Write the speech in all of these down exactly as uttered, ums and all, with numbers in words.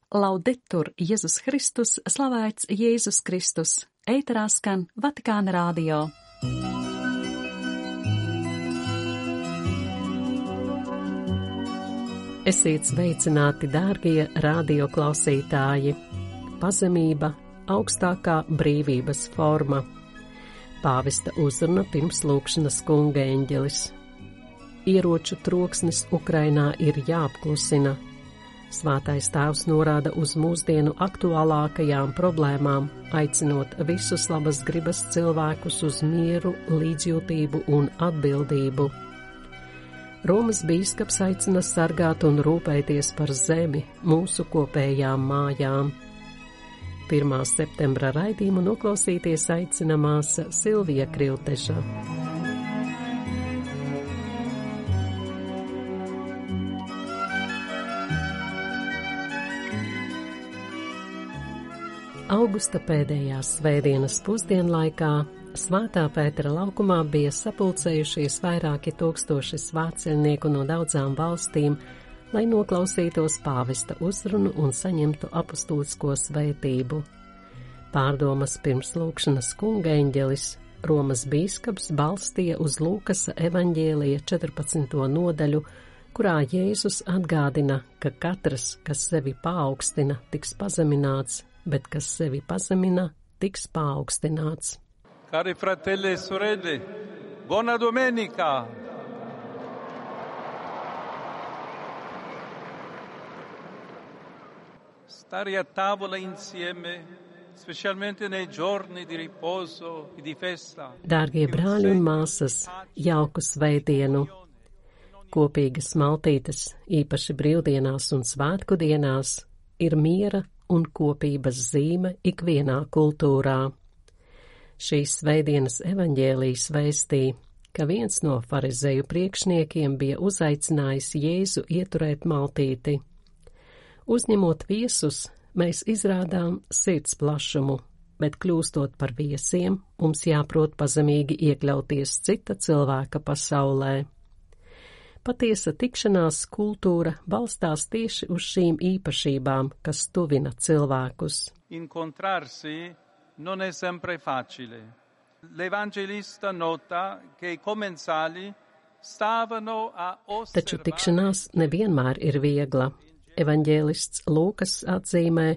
Laudetur Jēzus Kristus, slavēts Jēzus Kristus, ēterā skan Vatikāna radio. Esiet sveicināti, dārgie radio klausītāji! Pazemība – augstākā brīvības forma. Pāvesta uzruna pirms lūgšanas kunga eņģelis. Ieroču troksnis Ukrainā ir jāapklusina. Svētais tēvs norāda uz mūsdienu aktuālākajām problēmām, aicinot visus labas gribas cilvēkus uz mieru, līdzjūtību un atbildību. Romas bīskaps aicina sargāt un rūpēties par zemi, mūsu kopējām mājām. pirmā septembra raidījumu noklausīties aicina māsa Silvija Krilteša. Augusta pēdējās svētdienas pusdienlaikā Svētā Pētera laukumā bija sapulcējušies vairāki tūkstoši svētceļnieku no daudzām valstīm, lai noklausītos pāvesta uzrunu un saņemtu apustulisko svētību. Pārdomas pirms lūgšanas kunga eņģelis, Romas bīskaps balstīja uz Lūkasa evaņģēlija četrpadsmito nodaļu, kurā Jēzus atgādina, ka katrs, kas sevi paaugstина, tiks pazemināts, bet kas sevi pazemina, tiks paaugstināts. Cari fratelli e sorelle, buona domenica! Stare a tavola insieme, specialmente nei giorni di riposo e di festa. Dārgie brāļi un māsas, jauku svētdienu! Kopīgas maltītes, īpaši brīvdienās un svētku dienās, ir miera un kopības zīme ikvienā kultūrā. Šīs svētdienas evaņģēlijs vēstīja, ka viens no farizeju priekšniekiem bija uzaicinājis Jēzu ieturēt maltīti. Uzņemot viesus, mēs izrādām sirds plašumu, bet kļūstot par viesiem, mums jāprot pazemīgi iekļauties cita cilvēka pasaulē. Patiesa tikšanās kultūra balstās tieši uz šīm īpašībām, kas tuvina cilvēkus. Incontrarsi non è sempre facile. L'evangelista nota che i commensali stavano a osservare. Taču tikšanās nevienmēr ir viegla. Evaņģēlists Lūkas atzīmē,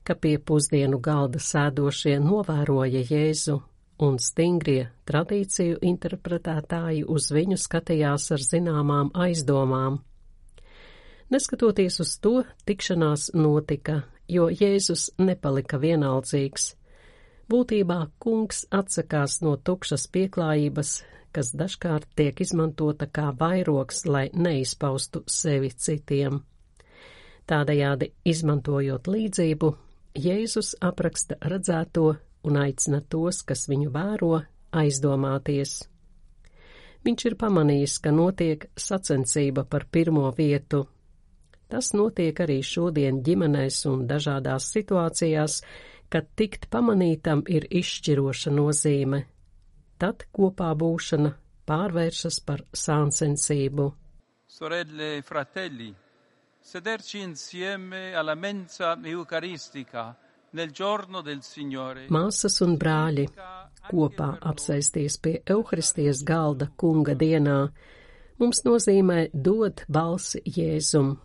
ka pie pusdienu galda sēdošie novēroja Jēzu, un stingrie tradīciju interpretētāji uz viņu skatījās ar zināmām aizdomām. Neskatoties uz to, tikšanās notika, jo Jēzus nepalika vienaldzīgs. Būtībā kungs atsakās no tukšas pieklājības, kas dažkārt tiek izmantota kā vairogs, lai neizpaustu sevi citiem. Tādējādi, izmantojot līdzību, Jēzus apraksta redzēto un aicina tos, kas viņu vēro, aizdomāties. Viņš ir pamanījis, ka notiek sacensība par pirmo vietu. Tas notiek arī šodien ģimenēs un dažādās situācijās, kad tikt pamanītam ir izšķiroša nozīme. Tad kopā būšana pārvēršas par sāncensību. Sorelle e fratelli, sederci insieme alla mensa eucaristica nel giorno del Signore. Māsas un brāļi, kopā apsēsties pie Euharistijas galda kunga dienā, mums nozīmē dot balsi Jēzum.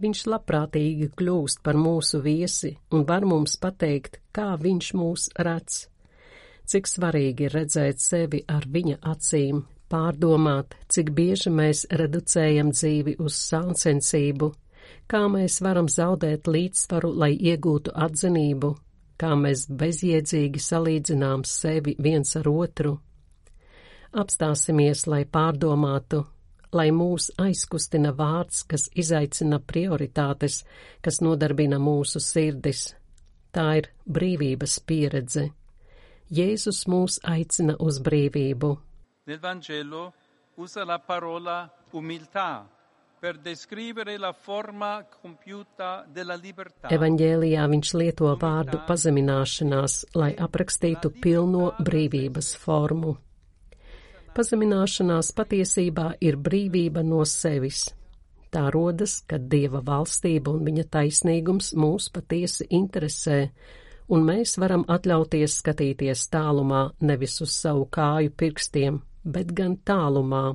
Viņš labprātīgi kļūst par mūsu viesi un var mums pateikt, kā viņš mūs redz. Cik svarīgi ir redzēt sevi ar viņa acīm, pārdomāt, cik bieži mēs reducējam dzīvi uz sāncensību, kā mēs varam zaudēt līdzsvaru, lai iegūtu atzinību, kā mēs bezjēdzīgi salīdzinām sevi viens ar otru. Apstāsimies, lai pārdomātu, lai mūs aizkustina vārds, kas izaicina prioritātes, kas nodarbina mūsu sirdis. Tā ir brīvības pieredze. Jēzus mūs aicina uz brīvību. Nel Vangelo usa la parola umiltà per descrivere la forma compiuta della libertà. Evaņģēlijā viņš lieto vārdu pazemināšanās, lai aprakstītu pilno brīvības formu. Pazemināšanās patiesībā ir brīvība no sevis. Tā rodas, kad Dieva valstība un viņa taisnīgums mūs patiesi interesē, un mēs varam atļauties skatīties tālumā nevis uz savu kāju pirkstiem, bet gan tālumā.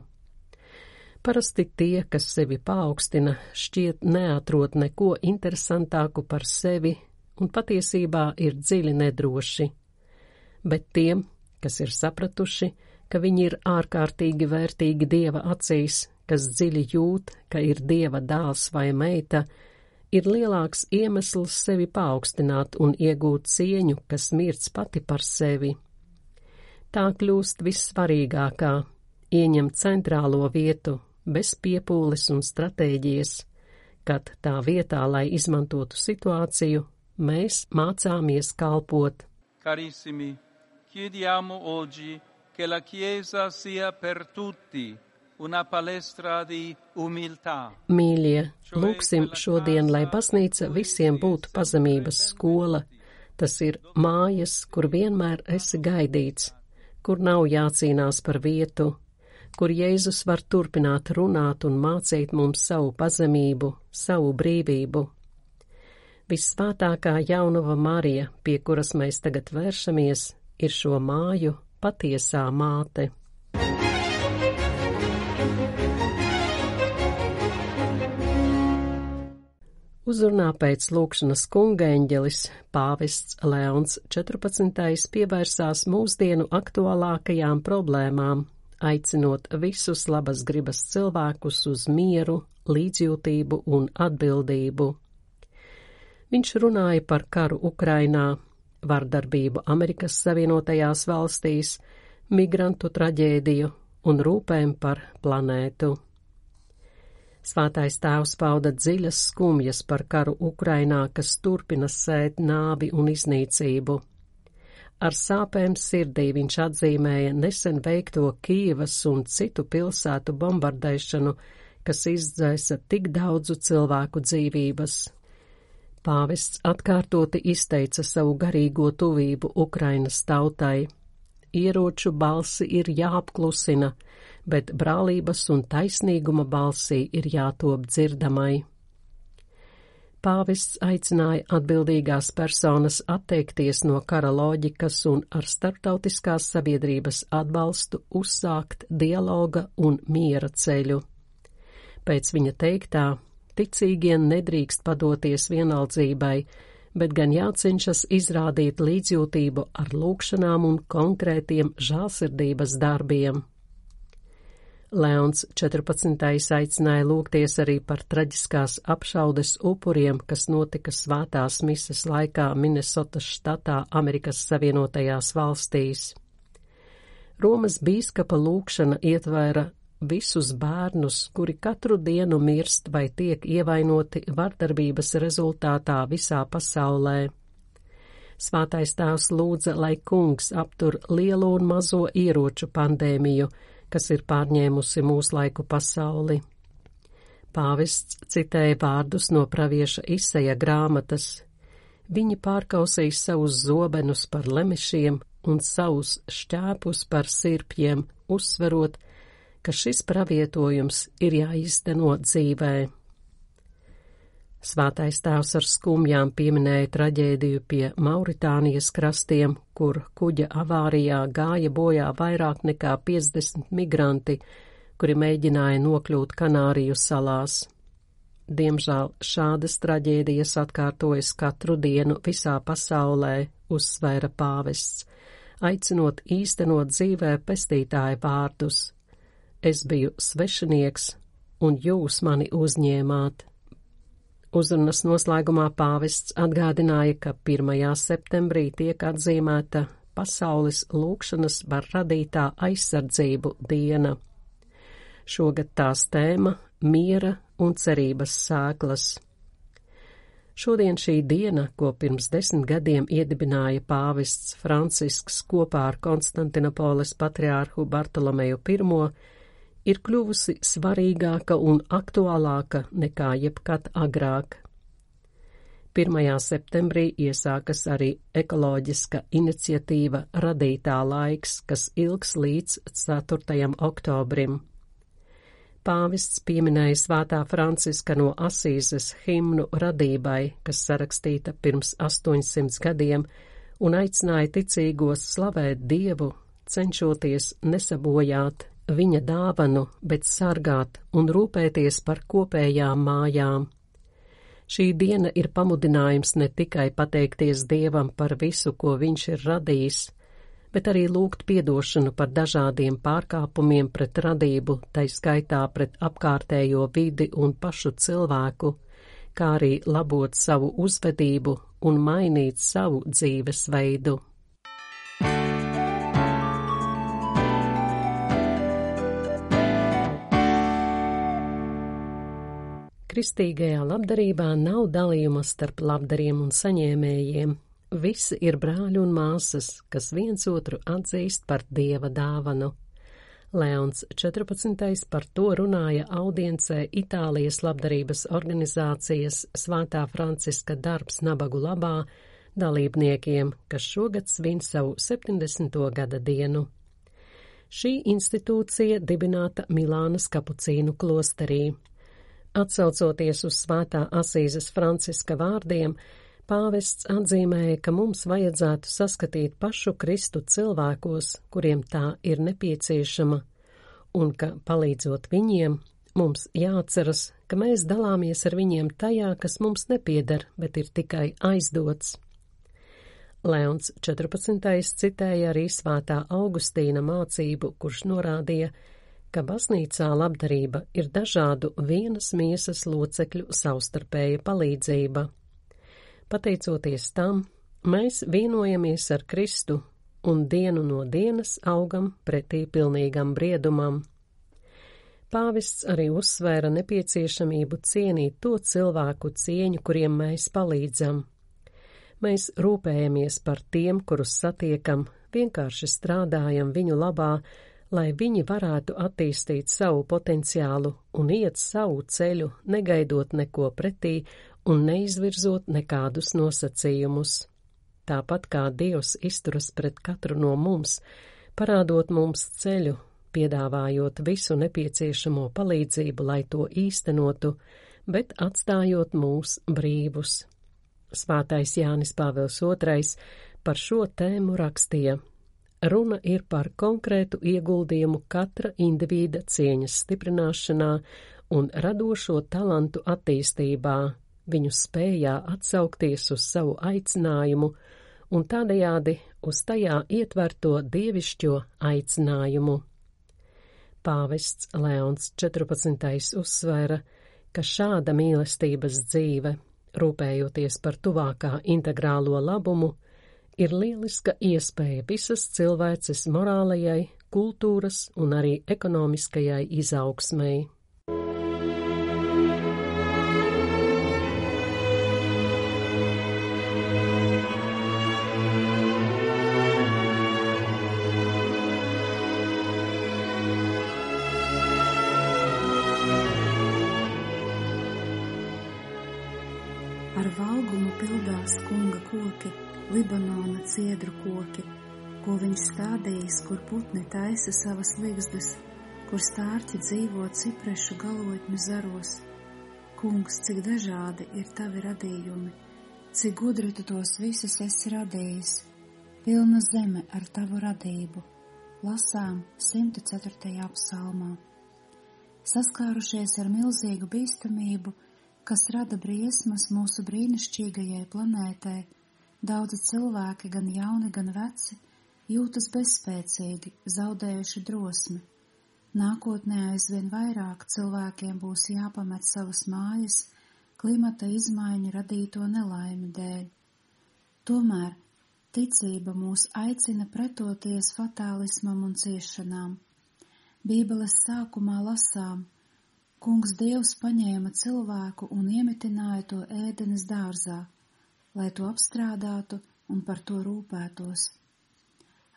Parasti tie, kas sevi paaugstina, šķiet neatrod neko interesantāku par sevi un patiesībā ir dziļi nedroši. Bet tiem, kas ir sapratuši, ka viņi ir ārkārtīgi vērtīgi Dieva acīs, kas dziļi jūt, ka ir Dieva dēls vai meita, ir lielāks iemesls sevi paaugstināt un iegūt cieņu, kas mirst pati par sevi. Tā kļūst vissvarīgākā, ieņem centrālo vietu, bez piepūles un stratēģijas, kad tā vietā, lai izmantotu situāciju, mēs mācāmies kalpot. Carissimi, chiediamo oggi che la Chiesa sia per tutti una palestra di umiltà. Mīļie, lūksim šodien, lai baznīca visiem būtu pazemības skola. Tas ir mājas, kur vienmēr esi gaidīts, kur nav jācīnās par vietu, kur Jēzus var turpināt runāt un mācīt mums savu pazemību, savu brīvību. Vissvētākā jaunava Marija, pie kuras mēs tagad vēršamies, ir šo māju patiesā māte. Uzrunā pēc lūkšanas kungaeņģelis pāvests Leons četrpadsmitais pievērsās mūsdienu aktuālākajām problēmām, aicinot visus labas gribas cilvēkus uz mieru, līdzjūtību un atbildību. Viņš runāja par karu Ukrainā, vardarbību Amerikas Savienotajās valstīs, migrantu traģēdiju un rūpēm par planētu. Svētais tēvs pauda dziļas skumjas par karu Ukrainā, kas turpina sēt nāvi un iznīcību. Ar sāpēm sirdī viņš atzīmēja nesen veikto Kijevas un citu pilsētu bombardēšanu, kas izdzēsa tik daudzu cilvēku dzīvības. Pāvests atkārtoti izteica savu garīgo tuvību Ukrainas tautai. Ieroču balsi ir jāapklusina, bet brālības un taisnīguma balsī ir jātop dzirdamai. Pāvests aicināja atbildīgās personas atteikties no kara loģikas un ar starptautiskās sabiedrības atbalstu uzsākt dialoga un miera ceļu. Pēc viņa teiktā, ticīgie nedrīkst padoties vienaldzībai, bet gan jācenšas izrādīt līdzjūtību ar lūkšanām un konkrētiem žēlsirdības darbiem. Leons četrpadsmitais aicināja lūgties arī par traģiskās apšaudes upuriem, kas notika svētās mises laikā Minesotas štatā Amerikas Savienotajās valstīs. Romas bīskapa lūgšana ietvēra visus bērnus, kuri katru dienu mirst vai tiek ievainoti vardarbības rezultātā visā pasaulē. Svētais tēvs lūdza, lai kungs aptur lielo un mazo ieroču pandēmiju, kas ir pārņēmusi mūslaiku pasauli. Pāvests citēja vārdus no pravieša Isaja grāmatas. Viņi pārkausīs savus zobenus par lemešiem un savus šķēpus par sirpjiem, uzsverot, ka šis pravietojums ir jāīsteno dzīvē. Svētais tēvs ar skumjām pieminēja traģēdiju pie Mauritānijas krastiem, kur kuģa avārijā gāja bojā vairāk nekā piecdesmit migranti, kuri mēģināja nokļūt Kanāriju salās. Diemžēl šādas traģēdijas atkārtojas katru dienu visā pasaulē, uzsvēra pāvests, aicinot īstenot dzīvē pestītāja vārdus. Es biju svešinieks, un jūs mani uzņēmāt. Uzrunas noslēgumā pāvests atgādināja, ka pirmajā septembrī tiek atzīmēta pasaules lūkšanas par radītā aizsardzību diena. Šogad tās tēma – miera un cerības sēklas. Šodien šī diena, ko pirms desmit gadiem iedibināja pāvests Francisks kopā ar Konstantinopoles patriārhu Bartolomeju pirmo, ir kļuvusi svarīgāka un aktuālāka nekā jebkad agrāk. pirmajā septembrī iesākas arī ekoloģiska iniciatīva Radītā laiks, kas ilgs līdz ceturtajam oktobrim. Pāvests pieminēja Svētā Franciska no Asīzes himnu radībai, kas sarakstīta pirms astoņsimt gadiem, un aicināja ticīgos slavēt Dievu, cenšoties nesabojāt viņa dāvanu, bet sargāt un rūpēties par kopējām mājām. Šī diena ir pamudinājums ne tikai pateikties Dievam par visu, ko viņš ir radījis, bet arī lūgt piedošanu par dažādiem pārkāpumiem pret radību, tai skaitā pret apkārtējo vidi un pašu cilvēku, kā arī labot savu uzvedību un mainīt savu dzīvesveidu. Kristīgajā labdarībā nav dalījuma starp labdariem un saņēmējiem. Visi ir brāļi un māsas, kas viens otru atzīst par Dieva dāvanu. Leons četrpadsmitais par to runāja audiencē Itālijas labdarības organizācijas Svētā Franciska darbs nabagu labā dalībniekiem, kas šogad svin savu septiņdesmito gada dienu. Šī institūcija dibināta Milānas kapucīnu klosterī. Atsaucoties uz Svētā Asīzes Franciska vārdiem, pāvests atzīmēja, ka mums vajadzētu saskatīt pašu Kristu cilvēkos, kuriem tā ir nepieciešama, un ka, palīdzot viņiem, mums jāatceras, ka mēs dalāmies ar viņiem tajā, kas mums nepieder, bet ir tikai aizdots. Leons četrpadsmitais citēja arī Svētā Augustīna mācību, kurš norādīja, ka baznīcā labdarība ir dažādu vienas miesas locekļu savstarpēja palīdzība. Pateicoties tam, mēs vienojamies ar Kristu un dienu no dienas augam pretī pilnīgam briedumam. Pāvests arī uzsvēra nepieciešamību cienīt to cilvēku cieņu, kuriem mēs palīdzam. Mēs rūpējamies par tiem, kurus satiekam, vienkārši strādājam viņu labā, lai viņi varētu attīstīt savu potenciālu un iet savu ceļu, negaidot neko pretī un neizvirzot nekādus nosacījumus. Tāpat kā Dievs izturas pret katru no mums, parādot mums ceļu, piedāvājot visu nepieciešamo palīdzību, lai to īstenotu, bet atstājot mūs brīvus. Svētais Jānis Pāvils otrais par šo tēmu rakstīja: Runa ir par konkrētu ieguldījumu katra individa cieņas stiprināšanā un radošo talantu attīstībā, viņu spējā atsaukties uz savu aicinājumu un tādējādi uz tajā ietverto dievišķo aicinājumu. Pāvests Leons četrpadsmitais uzsvēra, ka šāda mīlestības dzīve, rūpējoties par tuvākā integrālo labumu, ir lieliska iespēja visas cilvēces morālajai, kultūras un arī ekonomiskajai izaugsmei. Ar valgumu pildās kunga koki, Libanona ciedru koki, ko viņš stādījis, kur putni taisa savas ligzdas, kur stārķi dzīvo ciprešu galotņu zaros. Kungs, cik dažādi ir tavi radījumi, cik gudri tu tos visus esi radījis, pilna zeme ar tavu radību, lasām simt ceturtajā psalmā. Saskārušies ar milzīgu bīstamību, kas rada briesmas mūsu brīnišķīgajai planētē, daudzi cilvēki, gan jauni, gan veci, jūtas bezspēcīgi, zaudējuši drosmi. Nākotnē aizvien vairāk cilvēkiem būs jāpamet savas mājas klimata izmaiņu radīto nelaimi dēļ. Tomēr ticība mūs aicina pretoties fatālismam un ciešanām. Bībeles sākumā lasām: Kungs Dievs paņēma cilvēku un iemitināja to ēdenes dārzā, lai to apstrādātu un par to rūpētos.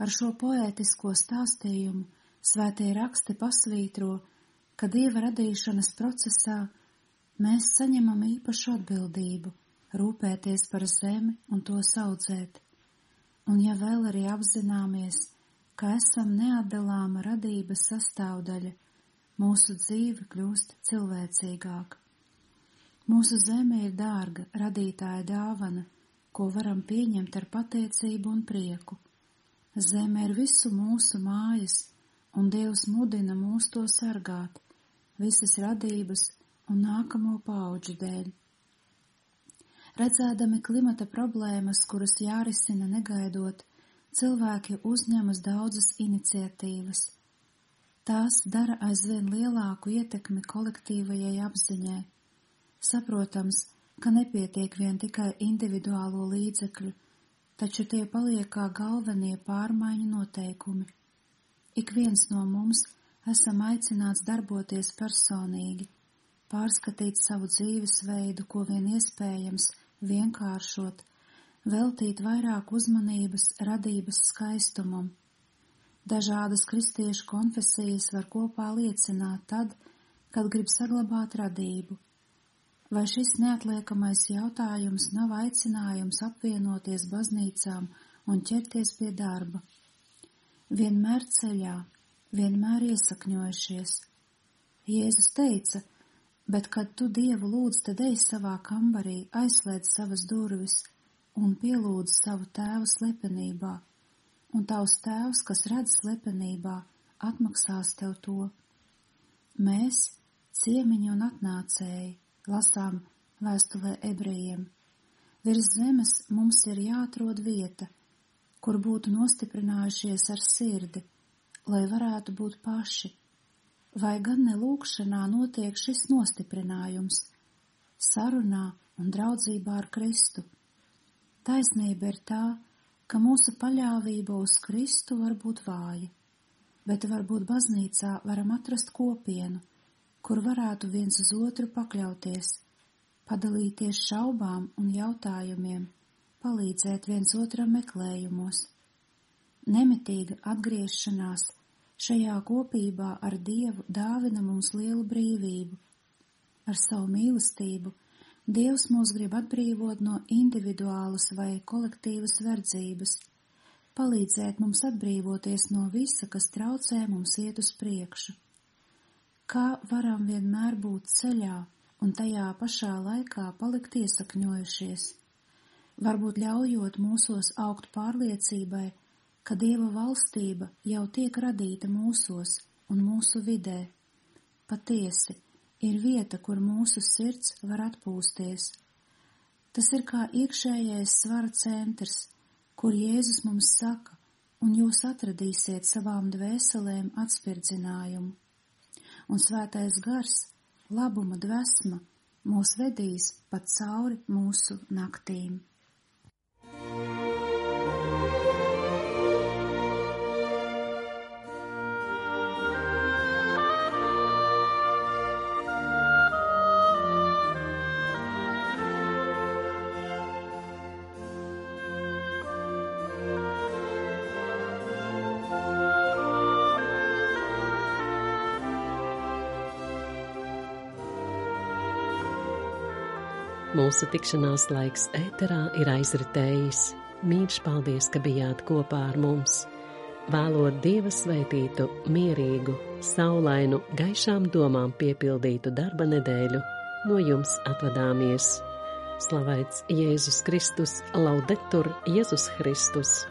Ar šo poētisko stāstījumu svētie raksti pasvītro, ka Dieva radīšanas procesā mēs saņemam īpašu atbildību rūpēties par zemi un to audzēt. Un ja vēl arī apzināmies, ka esam neatdalāma radības sastāvdaļa, mūsu dzīve kļūst cilvēcīgāka. Mūsu zeme ir dārga radītāja dāvana, ko varam pieņemt ar pateicību un prieku. Zeme ir visu mūsu mājas, un Dievs mudina mūs to sargāt, visas radības un nākamo paudžu dēļ. Redzēdami klimata problēmas, kuras jārisina negaidot, cilvēki uzņemas daudzas iniciatīvas. Tās dara aizvien lielāku ietekmi kolektīvajai apziņai. Saprotams, ka nepietiek vien tikai individuālo līdzekļu, taču tie paliek kā galvenie pārmaiņu noteikumi. Ik viens no mums esam aicināts darboties personīgi, pārskatīt savu dzīvesveidu, ko vien iespējams, vienkāršot, veltīt vairāk uzmanības radības skaistumam. Dažādas kristiešu konfesijas var kopā liecināt tad, kad grib saglabāt radību. Vai šis neatliekamais jautājums nav aicinājums apvienoties baznīcām un ķerties pie darba? Vienmēr ceļā, vienmēr iesakņojušies. Jēzus teica, bet kad tu Dievu lūdz, tad ej savā kambarī, aizslēdz savas durvis un pielūdz savu tēvu slepenībā, un tavs tēvs, kas redz slepenībā, atmaksās tev to. Mēs, ciemiņi un atnācēji, lasām vēstulē ebrejiem. Virs zemes mums ir jāatrod vieta, kur būtu nostiprinājušies ar sirdi, lai varētu būt paši. Vai gan ne lūgšanā notiek šis nostiprinājums, sarunā un draudzībā ar Kristu? Taisnība ir tā, ka mūsu paļāvība uz Kristu var būt vāja, bet varbūt baznīcā varam atrast kopienu, kur varētu viens uz otru pakļauties, padalīties šaubām un jautājumiem, palīdzēt viens otram meklējumos. Nemitīga atgriešanās šajā kopībā ar Dievu dāvina mums lielu brīvību. Ar savu mīlestību Dievs mūs grib atbrīvot no individuālas vai kolektīvas verdzības, palīdzēt mums atbrīvoties no visa, kas traucē mums iet uz priekšu. Kā varam vienmēr būt ceļā un tajā pašā laikā palikt iesakņojušies, varbūt ļaujot mūsos augt pārliecībai, ka Dieva valstība jau tiek radīta mūsos un mūsu vidē. Patiesi, ir vieta, kur mūsu sirds var atpūsties. Tas ir kā iekšējais svara centrs, kur Jēzus mums saka, un jūs atradīsiet savām dvēselēm atspirdzinājumu. Un svētais gars, labuma dvesma, mūs vedīs pat cauri mūsu naktīm. Mūsu tikšanās laiks ēterā ir aizritējis. Mīļš paldies, ka bijāt kopā ar mums. Vēlot Dieva svētītu, mierīgu, saulainu, gaišām domām piepildītu darba nedēļu, no jums atvadāmies. Slavēts Jēzus Kristus, laudetur Jēzus Kristus!